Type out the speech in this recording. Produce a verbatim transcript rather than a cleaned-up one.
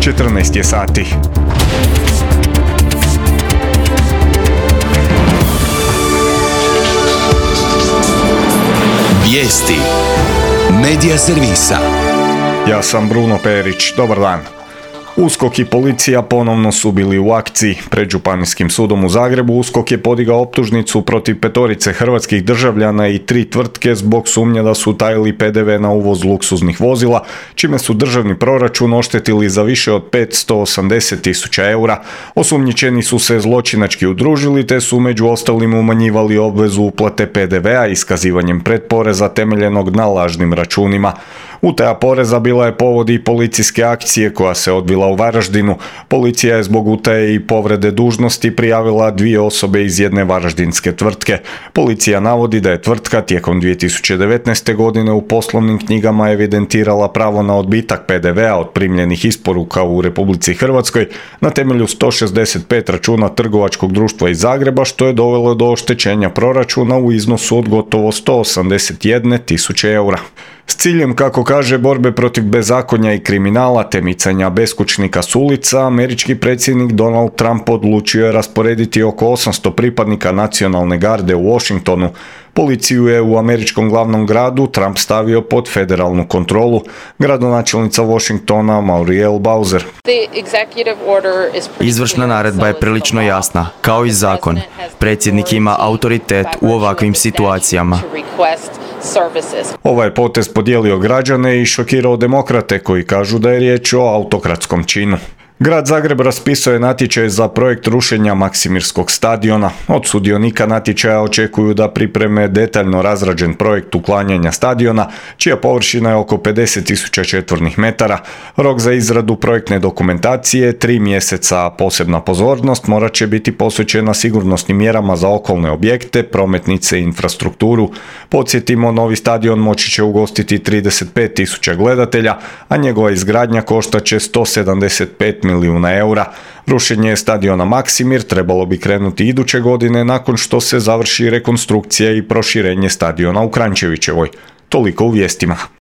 četrnaest je sati. Vijesti Medija servisa. Ja sam Bruno Perić, dobar dan. USKOK i policija ponovno su bili u akciji. Pred Županijskim sudom u Zagrebu USKOK je podigao optužnicu protiv petorice hrvatskih državljana i tri tvrtke zbog sumnje da su utajili pe de ve na uvoz luksuznih vozila, čime su državni proračun oštetili za više od petsto osamdeset tisuća eura. Osumnjičeni su se zločinački udružili te su među ostalim umanjivali obvezu uplate pe de vea iskazivanjem pretporeza temeljenog na lažnim računima. Utaja poreza bila je povod i policijske akcije koja se odvila u Varaždinu. Policija je zbog utaje i povrede dužnosti prijavila dvije osobe iz jedne varaždinske tvrtke. Policija navodi da je tvrtka tijekom dvije tisuće devetnaeste. godine u poslovnim knjigama evidentirala pravo na odbitak pe de vea od primljenih isporuka u Republici Hrvatskoj na temelju sto šezdeset pet računa trgovačkog društva iz Zagreba, što je dovelo do oštećenja proračuna u iznosu od gotovo sto osamdeset jedne tisuće eura. S ciljem, kako kaže, borbe protiv bezakonja i kriminala te micanja beskućnika s ulica, američki predsjednik Donald Trump odlučio je rasporediti oko osamsto pripadnika nacionalne garde u Washingtonu. Policiju je u američkom glavnom gradu Trump stavio pod federalnu kontrolu. Gradonačelnica Washingtona Muriel Bowser. Izvršna naredba je prilično jasna, kao i zakon. Predsjednik ima autoritet u ovakvim situacijama. Ovaj potez podijelio građane i šokirao demokrate koji kažu da je riječ o autokratskom činu. Grad Zagreb raspisao je natječaj za projekt rušenja Maksimirskog stadiona. Od sudionika natječaja očekuju da pripreme detaljno razrađen projekt uklanjanja stadiona, čija površina je oko pedeset tisuća četvornih metara. Rok za izradu projektne dokumentacije tri mjeseca, a posebna pozornost morat će biti posvećena sigurnosnim mjerama za okolne objekte, prometnice i infrastrukturu. Podsjetimo, novi stadion moći će ugostiti trideset pet tisuća gledatelja, a njegova izgradnja koštat će sto sedamdeset pet milijuna eura. Rušenje stadiona Maksimir trebalo bi krenuti iduće godine nakon što se završi rekonstrukcija i proširenje stadiona u Kranjčevićevoj. Toliko u vijestima.